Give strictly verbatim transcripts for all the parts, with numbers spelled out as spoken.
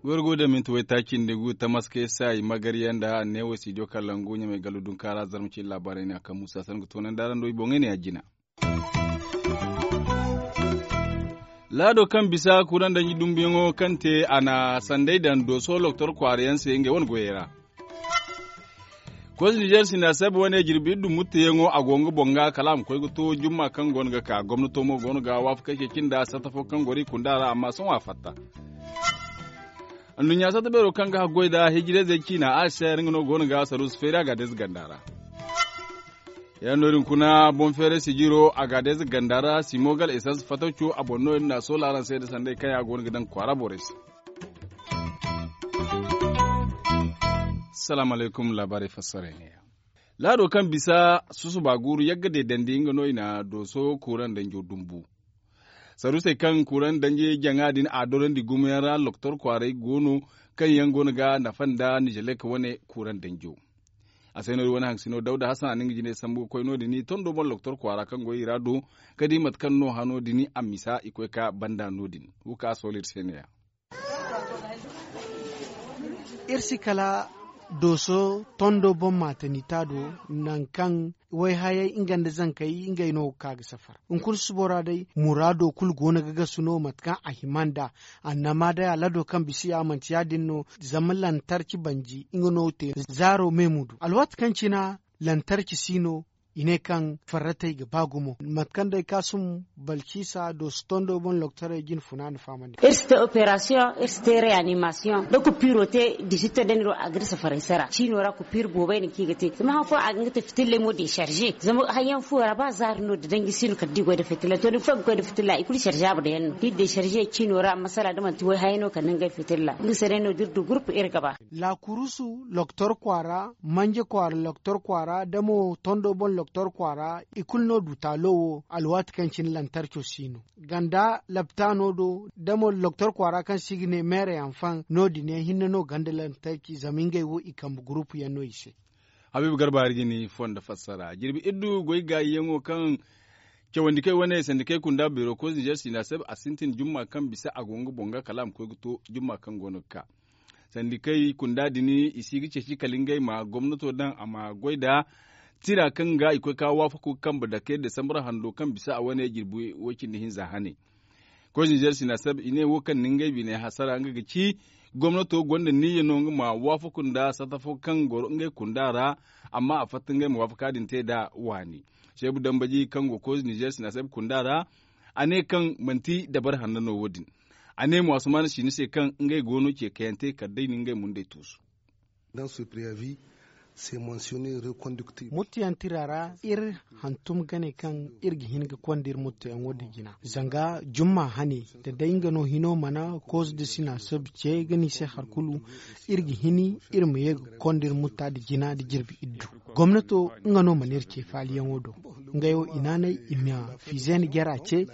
Gorgo da minti waytaaci nda gu tamaskey se ay magarya nda neewo studio kalangu ɲamay gallu dunkaara zarma cine laabaarey ne a kaŋ muusa sangu toonandi araŋ do i boŋey ne a jina. Laado kaŋ bisa kuraŋ danji dumbuyaŋo kaŋ te a na sanday daŋ dooso loktor kwaara yaŋ se ngey wane goyey ra. Koy nizer sinda sabe wane jirbi iddu mutteyaŋo a go nga boŋ ga kala a ma koy ga to jumma kaŋ go no ga ka gomnato mo go no ga waafakey ceeci nda satta fo kaŋ goro i kunda ra amma sohõ a fatta. Anduɲɲa satta beero kaŋ ga haggoy nda hijirayzey ciina a se yaŋ nga no go no ga saruusu feeri a ga deeze ganda ra. Yaŋ no- din kuna boŋ feeray sijiro a ga deeze ganda ra simogal esans fatawco a boŋ no- din na a soola araŋ se nda sanday kaŋ yaŋ a go no ga daŋ kwaara borey se. Salaamu alaykum laabaarey fassaray neeya. Laado kaŋ bisa susuba guuru yagga deedandi nga no i na dooso kuuraŋ danjo dumbu. Saruusey kaŋ kuuraŋ danji jaŋa din a dorandi gumo yaŋ ra loktor kwaaray go no kaŋ yaŋ go no ga nafa nda nizelek wane kuuraŋ danjo. A se no- din wane haŋsino dawda hasan a na nga jinay sambu ga koy no- din tondo boŋ loktor kwaara kaŋ go i ra do ka di mate kaŋ no hano din a misa i koy ka banda no- din wo ka a soolo iri se neeya. Iri si kala dooso tondo boŋ maatanita do nangu kaŋ wayhayey nga nda zankey ngey no ga ka ga safar. Hunkuna subo ra day muraado kulu go no ga gasu no mate kaŋ a hima nd'a. Annama day alado kaŋ bisa ya manti ya- din no. Zama lantarki banji nga no te zaaro me mudu alwaati kaŋ cina lantarki si no. I ne kaŋ farratey ga ba gumo mate kaŋ day kaasum balkisa dooso tondo boŋ loktorey jine funa na fahamandi. Iri si te operasiyoŋ iri si te reyanimasiyoŋ da kupiiro te disitto da ni do a ga iri safaray sara ciino ra kupiiro boobay no kaŋ i ga te zama han fooyaŋ a ga nga te fitilley mo desarze zama hayyaŋ fooyaŋ ra ba zaari no da danji si no kala da i goy nda fitilla to ni fooyaŋ ga koy nda fitilla i kulu sarzaabur yaŋ no da i desarze ciino ra masala da manti wayhayey no kala nda ngey fitilla nga se day no da iri du gurupu iri ga ba. Laakurusu loktor kwaara manje kwaara loktor kwaara da mo tondo boŋ loktor kwaara i kulu no du taalo wo alwaati kaŋ cine lantarco si no ganda laptaano do da mo loktor kwaara kaŋ se i ga ne meere yaŋ faŋ no- din yaŋ hinne no ganda lantarki zama ngey wo i kambe gurupu yaŋ no i se. Habiibu garba hari ga ni fondo fassara jirbi iddu goy gaayiyaŋo kaŋ cawandi kay wane sandikey kunda beero koy nizer sina se a sintin jumma kaŋ bisa a go nga boŋ ga kala a ma koy ga to jumma kaŋ go no ga ka sandikey kunda din i si ga ceeci kala ngey ma gomnato daŋ a ma goy nda tira kaŋ ga i koy ka waafaku ga kambe dake desambur hando kaŋ bisa a wane jirbi way- cindi hinza hane. Koy nizer sina se i ne wo kaŋ na ngey biney hasara nga ga ci gomnato gonda niyya no nga ma waafaku nda satta fo kaŋ goro ngey kunda ra. Amma a fatta ngey ma waafaka din te nd'a waani seebu dambaji kaŋ go koy nizer sina se kunda ra. A ne kaŋ manti dabari hanno no wo- din. A ne mo asumaana si ni se kaŋ ngey go no ce kayante kala day na ngey mundey tuusu. Muttu yaŋ tira ra iri hantum gane kaŋ iri ga hin ga konda iri muttu yaŋo nda jina zanga jumma hane da day nga no hino mana koosu nda sina sabu ce ga ni se hari kulu. Iri ga hin iri ma ye ga konda iri mutta nda jina nda jirbi iddu. Gomnato nga no mana iri ce faaliyaŋo do. Ngey wo i naanay i ma fiize nda jara ce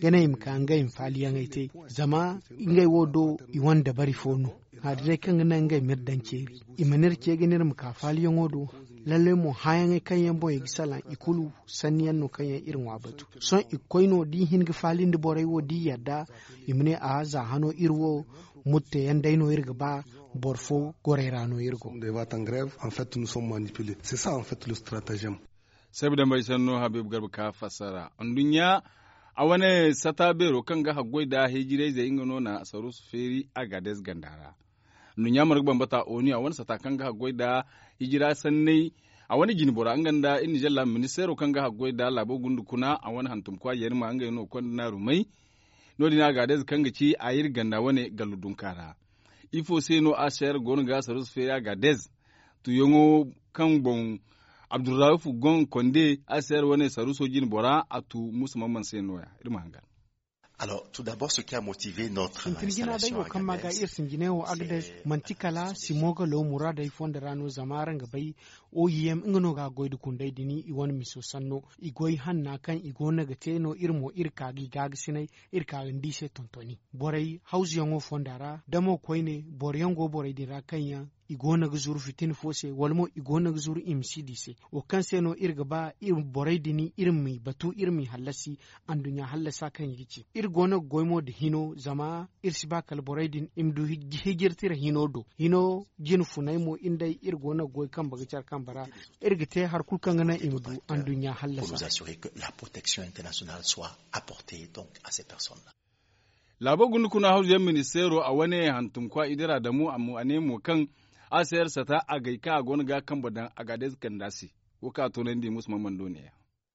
ga ne i ma ka ngey ma faaliyaŋey te. Zama ngey wo do i wane dabari fo no. Hari day kaŋ ga naŋ ngey ma iri daŋ ceeri i ma n'iri ce ga n'iri ma ka faaliyaŋo do. Lallay mo hãyaŋey kaŋ yaŋ boŋ i ga salaŋ i kulu sanni yaŋ no kaŋ yaŋ iri ŋwa batu. Sohõ i ga koy no da i hin ga faali nda borey wo da i yadda i ma ne a za hano iri wo. Mutteyaŋ day no iri ga ba boro fo gorey ra no iri go. Sabu dambay sanno habiibu garba ka fassara nduɲɲa. A wane sata beero kaŋ ga haggoy nda hijirayzey nga no na saruusu feeri a ga deeze ganda ra. Nduɲɲa marga bambata onu a wane sata kaŋ ga haggoy nda hijira sanney. A wane jinbora nga nda iri nizeer laabu ministeero kaŋ ga haggoy nda laabo gunda kuna a wane hantumkwa yerma ngey no konda naarumey. No- din a ga deeze kaŋ ga ci a iri ganda wane gallu dunka ra. Ifo se no a seer go no ga saruusu feeri a ga deeze? Tuuyaŋo kaŋ boŋ abdurrahifu goŋ konde a seer wane saruuso jinbora a tu musa mamman se no- ya iri ma hangan. Sintin jina day wo kaŋ ma ga iri sinjinay wo agades manti kala simo ga lo muraadey fondo ra no zama araŋ ga bay. Oyem nga no ga goy nda kundey din i wane miso sanno i goy hanna kaŋ i go no ga te no iri mo iri ka ga i gaagasinay. Iri ka ga ni di se tontoni borey hawzuyaŋo fonda ra da mo koyne boro yaŋ go borey din ra kaŋ yaŋ i go no ga zuru fitina fo se wala mo i go no ga zuru i ma si di se. Wo kaŋ se no iri ga ba iri borey din iri m'i batu iri m'i hallasi anduɲɲa hallasa kaŋ i ga ci. Iri go no ga goy mo nda hino zama iri si ba kala borey din i ma du hijir tira hino do hino jine funay mo iri day iri go no ga goy kambe ga care kambe ra. Iri ga te hari kulu kaŋ ga naŋ i ma du anduɲɲa hallasa. Laabo gunda kuna hawzu yaŋ ministeero a wane hantumkwa idira damu a ne mo kaŋ a se yar sata a gay kaŋ a go no ga a kambe daŋ a ga a day ze kanda se. Wo kaŋ a toonandi musu ma mando ne ya.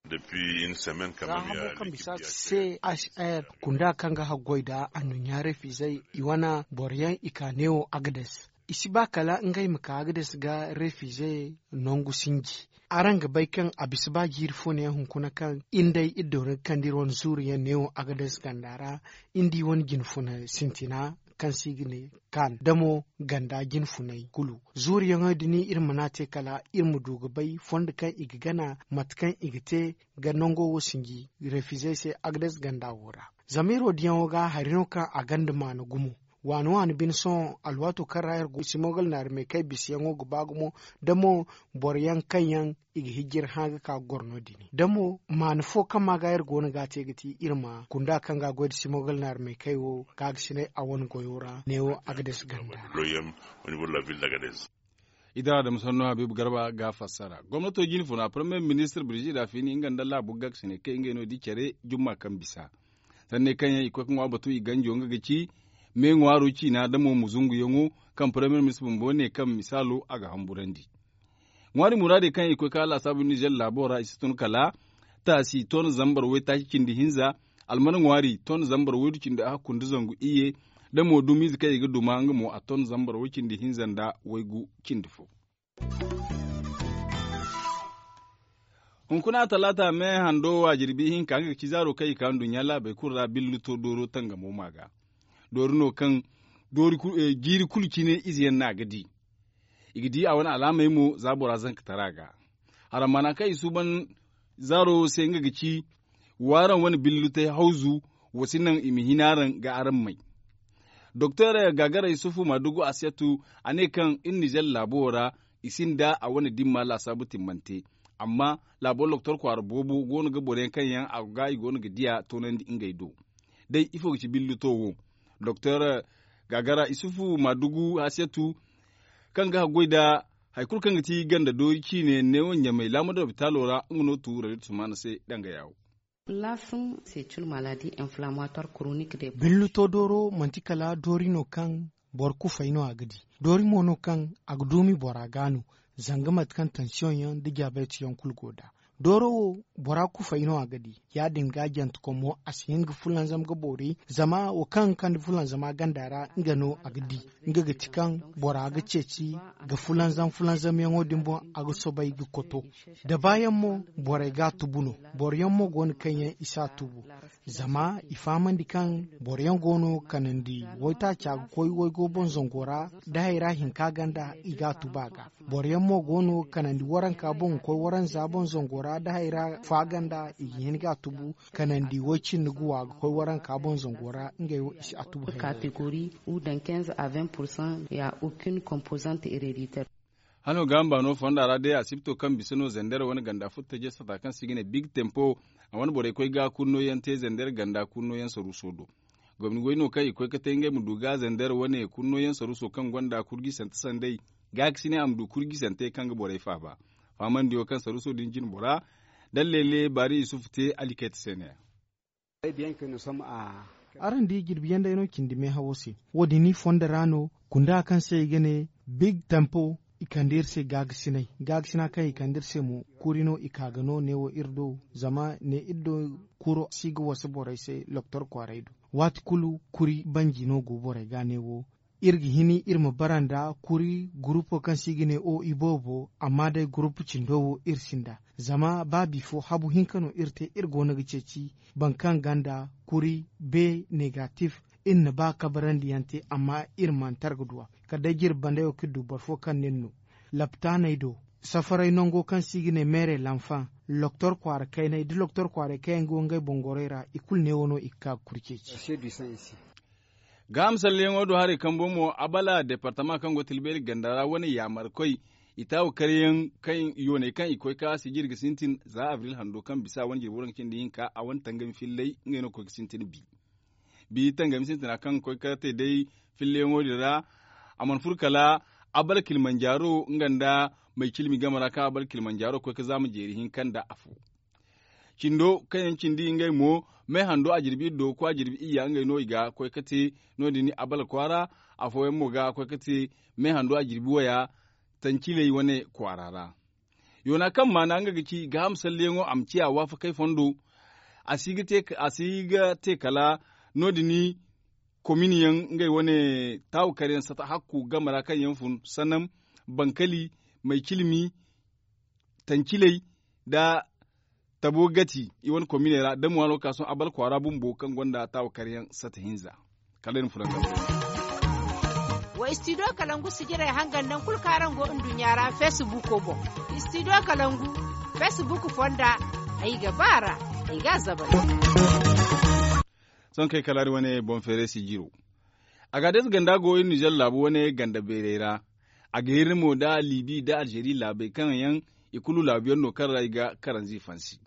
Za hamo kaŋ bisa se a si a yar kunda kaŋ ga haggoy nda anduɲɲa refizey i wane boro yaŋ i ka neewo agades. I si ba kala ngey ma ka agades ga refize nangu sinji. Araŋ ga bay kaŋ a bisa ba jiiri fo ne hunkuna kaŋ iri day iri doona ga kande iri wane zuuru yaŋ neewo agades ganda ra. Iri di wane jine funa sintina kaŋ se i ga ne kaan damo ganda jine funay kulu. Zuuru yaŋo din iri mana te kala iri ma du ga bay fondo kaŋ i ga gana mate kaŋ i ga te ga nango wo sinji refizey se agades ganda wo ra. Zama iri wo diyaŋo ga hari no kaŋ a gonda maana gumo. Waani waani bine sohõ alwaato kaŋ ra iri go simogal naari meekay bisayaŋo ga ba gumo da mo boro yaŋ kaŋ yaŋ i ga hijir hã ga ka ga goro no- din da mo maana fo kaŋ ma ga iri go no ga a te ga ti iri ma kunda kaŋ ga a goy nda simogal naari meekay wo kaagasinay a wane goyo ra neewo agades ganda. Idara da musanno habiibu garba ga a fassara gomnato jine funa parmiye ministir birjida fini nga nda laabu gaagasine kaŋ ngey no di care jumma kaŋ bisa. Sanney kaŋ yaŋ i koy ga ŋwa batu i ganjo nga ga ci me ŋwaaro ciina da mo muzunguyaŋo kaŋ parmiye ministir bumbo ne kaŋ misaalo a ga hamburandi. Ŋwaari muraadey kaŋ yaŋ i koy ga ka laasaabu nizer laabo ra i si tun kala taasi ton zambar waytaaci cindi hinza alman ŋwaari ton zambar waydu cindi ahakku nda zangu iyye da mo dumiize kaŋ i ga duma nga mo a ton zambar way cindi hinza nda waygu cindi fo. Hunkuna talaata me hando waajirbi hinka nga ga ci zaaro kaŋ i ka nduɲɲa laabey kulu ra billuto dooro tangamo ma ga doori no kaŋ jiiri kulu cine ize yaŋ no a ga di. I ga di a wane alaamey mo za bora zankatara ga. Haramana kaŋ i suuban zaaro wo se nga ga ci waaraŋ wane billutey hawzu. Wa si naŋ i ma hin araŋ ga araŋ may doktor gaagara yusufu maadugu asiyatu a ne kaŋ iri nizer laabo wo ra i sinda a wane dimma laasaabu timmante. Amma laabo doktor kwaara boobo go no ga boro yaŋ kaŋ yaŋ a ga i go no ga diya toonandi ngey do. Day ifo ga ci billuto wo doktor gaagara yusufu maadugu asiyatu kaŋ ga haggoy nda hari kulu kaŋ ga ti ganda doori ciine neewo ɲamay laamado lopitaalo ra nga no tu radio tusmaana se danga yaawo. Laafun se cul maladi inflamatoire chronique de. Billuto dooro manti kala doori no kaŋ boro kufay no a ga di. Doori mo no kaŋ a ga duumi bora ga no zanga mate kaŋ tansiyoŋ yaŋ nda jaabeeti yaŋ kulu go nd'a. Dooro wo bora kufay no a ga di. Ya- din ga jantekom mo a si hin ga fulanzam ga boori zama wo kaŋ ga kande fulanzama ganda ra nga no a ga di. Nga ga ti kaŋ bora ga ceeci ga fulanzam fulanzamyaŋo din boŋ a ga soobay ga koto. Da baayaŋ mo borey ga a tubu no. Boro yaŋ mo go no kaŋ yaŋ i si a tubu. Zama i fahamandi kaŋ boro yaŋ go no kanandi waytaaca ga koy waygo boŋ zango ra da hayra hinka ganda i ga a tubu a ga. Boro yaŋ mo go no kanandi waranka boŋ ga koy waranza boŋ zango ra da hayra fa ganda i ga hin ga a tubu. Kanandi way cindi ga wa ga koy waranka boŋ zango ra ngey wo i si a tubu hayra. Catégorie ou dans quinze à vingt pour cent ya aucune composante héréditaire. Hano ga hamba no fonda ra day asibto kaŋ bisa no zandar wane ganda futta jesata kaŋ si ga ne big tempo. A wane borey koy ga kunno yaŋ te zandar ganda kunno yaŋ saruso do. Gomni goy no kaŋ i koy ga te ngey ma du ga zandar wane kunno yaŋ saruso kaŋ gonda kurgi sante sanday. Ga ga si ne a ma du kurgi sante kaŋ ga borey faaba. Fahamandi wo kaŋ saruso din jin bora dalle le baari isufu te alikayta se ne. Araŋ di jirbi yaŋ day no cindi meehawo se. Wo- din ni fondo ra no kunda kaŋ se i ga ne big tempo. I kande iri se gaagasinay. Gaagasina kaŋ i kande iri se mo kuri no i ka ga no neewo iri do. Zama ne iri do kuro si ga wasa borey se loktor kwaaray do. Waati kulu kuri banji no go borey ga neewo. Iri ga hini iri ma bara nda kuri gurupo kaŋ se i ga ne o iboobo amma day gurupu cindo wo iri sinda. Zama ba bifo habu hinka no iri te iri go no ga ceeci boro kaŋ gonda kuri be negatif. Iri na ba kabarandi yaŋ te amma iri mana targa duwa kala day jirbi banda yaŋ wo kaŋ iri du boro fo kaŋ ne iri no laptaaney do. Safaray nango kaŋ se i ga ne meere lanfaŋ loktor kwaara kaynay da loktor kwaaray kaŋ yaŋ go ngey boŋ gorey ra i kulu neewo no i ga ka ga kuri ceeci. Gaaham salleyaŋo do haray kambo mo, abala departama kaŋ go tilbeeri ganda ra wane yaamarkoy, i taawu karyaŋ kaŋ yooney kaŋ i koy ka sijiri ga sintin za abril hando kaŋ bisa wane jirbi waranka cindi hinka a wane tangami fillay ngey no ga koy ga sintin bi. Bi tangami sintina kaŋ ga koy ga te day filleyaŋo din ra, a mana furo kala abal kilimanjaro nga nda may cilmi game ra kaŋ abal kilimanjaro ga koy ga zaama jeeri hinka nda afo. Cindo kaŋ yaŋ cindi ngey mo, me hando a jirbi iddo ga koy a jirbi iyya ngey no i ga koy ga te. No- din abal kwaara, afooyaŋ mo ga koy ga te me hando a jirbi waya tanciley wane kwaara ra. Yoona kaŋ maana nga ga ci gaaham salleyaŋo a ma ciya waafakey fondo. A si ga te kala no- din komin yaŋ ngey wane taawu kar yaŋ sata hakku game ra kaŋ yaŋ fun sannan bankali, may cilmi, tanciley, nda tabo gati i wane kominey ra da mo waano ga ka sohõ abal kwaara bumbo kaŋ gonda taawu kar yaŋ sata hinza. Kala ay na furo nga. Wa istidiyo kalangu sijirey hangan nangu kulu kaŋ araŋ go nduɲɲa ra feesibuuko boŋ. Istidiyo kalangu feesibuuk fonda, ay ga ba a ra, ay ga a zabari. Sohõ kaŋ ay kalaari wane boŋ feeray sijiro. Agaades ganda go iri nizer laabu wane ganda beerey ra. A ga hirri mo nda liibi nda alzeeri laabey kaŋ yaŋ i kulu laabu yaŋ no kaŋ ra i ga karanzi fansi.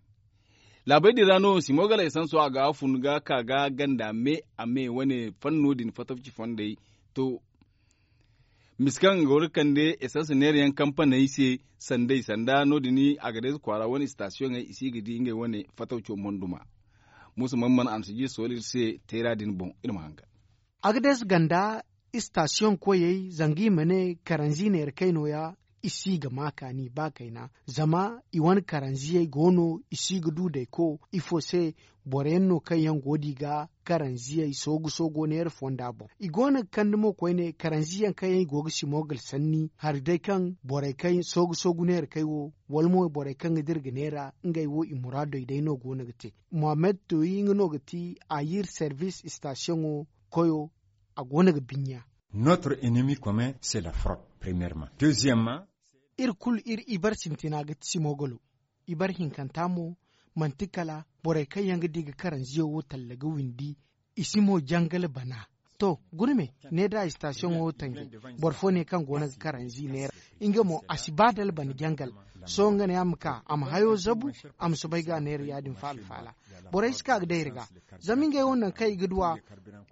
Laabey din ra no simogal esanso a ga fun ga ka ga ganda me a me wane fanno din fatawci fondey to. Misa kaŋ ga war ga kande esans neera yaŋ kampaney se sanday sanda no- din. Agadeez kwaara wane istasiyoŋey i si ga di ngey wane fatawco monduma. Muusa man mana a ma si jiri sohõ iri se teera din boŋ iri ma hangan. Agadeez ganda istasiyoŋ koyey zanga i ma ne karanzi neera kay nooya. I si ga ma kaani ba kayna zama i wane karanziyey go no i si ga du dayko ifo se. Boro yaŋ no kaŋ yaŋ go da i ga karanziyey soogu soogo neera fonda boŋ i go no ga kande mo koyne karanziyaŋ kaŋ yaŋ i go ga simogal sanni hari day kaŋ borey kaŋ soogu soogu neera kay wo wala mo borey kaŋ ga dira ga neera ngey wo i muraadey day no go no ga te. Mohammed toyi nga no ga ti ayir servis istasiyoŋo koyo. A go no ga binya. Notre ennemi commun c'est la fraude. Premièrement, deuxièmement, iri kulu iri ibar sintina ga ti simogalo. Ibar hinkanta mo manti kala borey kaŋ yaŋ ga di ga karanziyo wo talla ga windi. I si mo jangal bana. To guna me ne da istasiyoŋo wo tanji. Boro fo ne kaŋ go no ga karanzi neera nga mo a si ba da albana jangal. Sohõ nga ne a ma ka a ma hayo zabu a ma soobay ga a neera ya- din faala faala. Borey si ka ga day iri ga zama ngey wo nangu kaŋ i ga duw'a.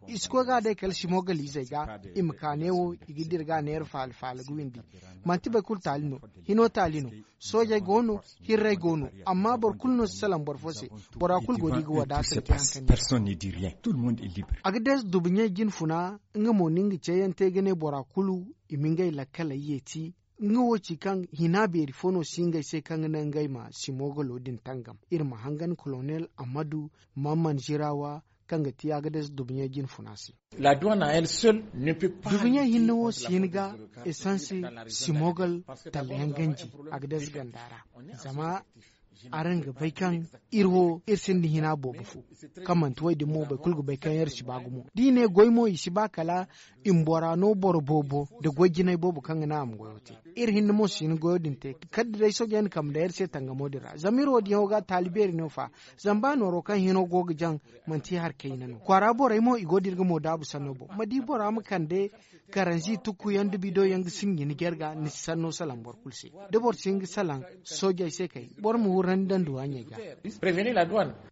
I si koy ga a day kala simogalizey ga i ma ka neewo i ga dira ga a neera faala faala ga windi. Manti boro kulu taali no. Hino taali no. Soojey go no. Hirrey go no. Amma boro kulu no si salaŋ boro fo se. Bora kulu go da i ga wadaata nda te hari kaŋ ni ga. Agades dubuɲey jine funa nga mo no nga ceeyaŋ te ga ne bora kulu i ma ngey lakkaley yeeti. Nga wo ci kaŋ hina beeri fo no si ngey se kaŋ ga naŋ ngey ma simogalo din tangam. Iri ma hangan kolonel ammadu mamman zirawa kaŋ ga ti agades dubuɲey jine funa se. Dubuɲey hinne wo si hin ga esanse simogal talla yaŋ ganji. Agades ganda ra zama araŋ ga bay kaŋ iri wo iri sinda hina boobo fo. Kaŋ manti wo- din mo boro kulu ga bay kaŋ iri si ba gumo da i ne goy mo i si ba kala i ma bora no boro boobo nda goy jinay boobo kaŋ ga naŋ a ma goyo te. Iri hinne mo si hin goyo din te kala da day soojey na kambe day iri se tangamo din ra zama iri wo- din yaŋo ga taali beeri no fa. Zama ba nooro kaŋ hino go ga jaŋ manti hari kayna no kwaara borey mo i go da iri ga mo daabu sanno boŋ ma di bora ma kande karanzi tukku yaŋ da bido yaŋ ga sinji ni jarga ni si sanno salaŋ boro kulu se. Da boro si hin ga salaŋ soojey se kay boro ma hurandi daŋ duwaaɲey ga.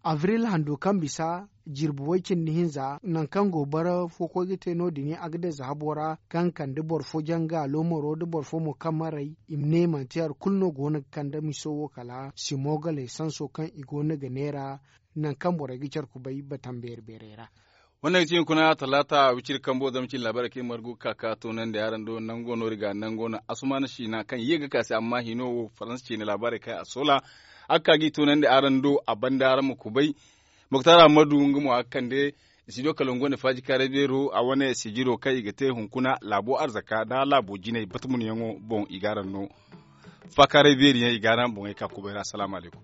Abril hando kaŋ bisa jirbi way cindi hinza nangu kaŋ go bara fo koy ga te no- din agades habo ra kaŋ kande boro fo janga loomaro da boro fo mo kaŋ maray i ma ne manti hari kulu no go no ga kande miso wo kala simogaley sanso kaŋ i go no ga neera. Nangu kaŋ borey ga care kubay batam beeri beerey ra. Wane ga ci hunkuna talaata wiciri kambo zama cine laabaarey kaŋ iri margu ga ka ka toonandi araŋ do nango no iri ga nango no asumaana siina kaŋ ye ga ka se amma hino wo faransa ciine laabaarey kaŋ a soola. A ga ka ga i toonandi araŋ do a banda araŋ ma kubay. Moktar ammadu nga mo a ga kande studio kalangu wane faaji kaaray beero a wane sijiro kaŋ i ga te hunkuna laabo arzaka nda laabo jinay batmunyaŋo boŋ i ga araŋ no. Faakaaray beeri yaŋ i ga araŋ boŋey ka kubay ra asalaamu alaykum.